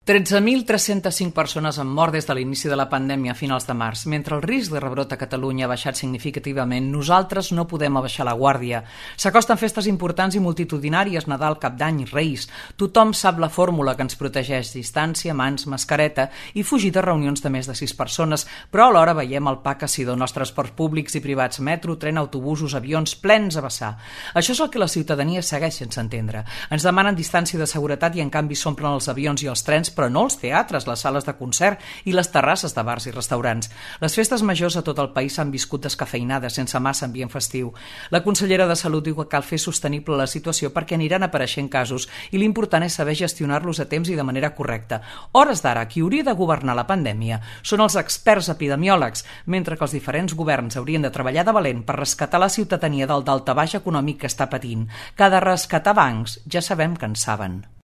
13.305 persones han mort des de l'inici de la pandèmia a finals de març. Mentre el risc de rebrot a Catalunya ha baixat significativament, nosaltres no podem abaixar la guàrdia. S'acosten festes importants i multitudinàries, Nadal, Cap d'Any, Reis. Tothom sap la fórmula que ens protegeix: distància, mans, mascareta i fugir de reunions de més de 6 persones. Però alhora veiem el pa que s'hi dona als transports públics i privats, metro, tren, autobusos, avions plens a vessar. Això és el que la ciutadania segueix sense entendre. Ens demanen distància de seguretat i en canvi s'omplen els avions i els trens, però no els teatres, les sales de concert i les terrasses de bars i restaurants. Les festes majors a tot el país s'han viscut descafeïnades, sense massa ambient festiu. La consellera de Salut diu que cal fer sostenible la situació perquè aniran apareixent casos i l'important és saber gestionar-los a temps i de manera correcta. Hores d'ara, qui hauria de governar la pandèmia són els experts epidemiòlegs, mentre que els diferents governs haurien de treballar de valent per rescatar la ciutadania del daltabaix econòmic que està patint. Que de rescatar bancs ja sabem que en saben.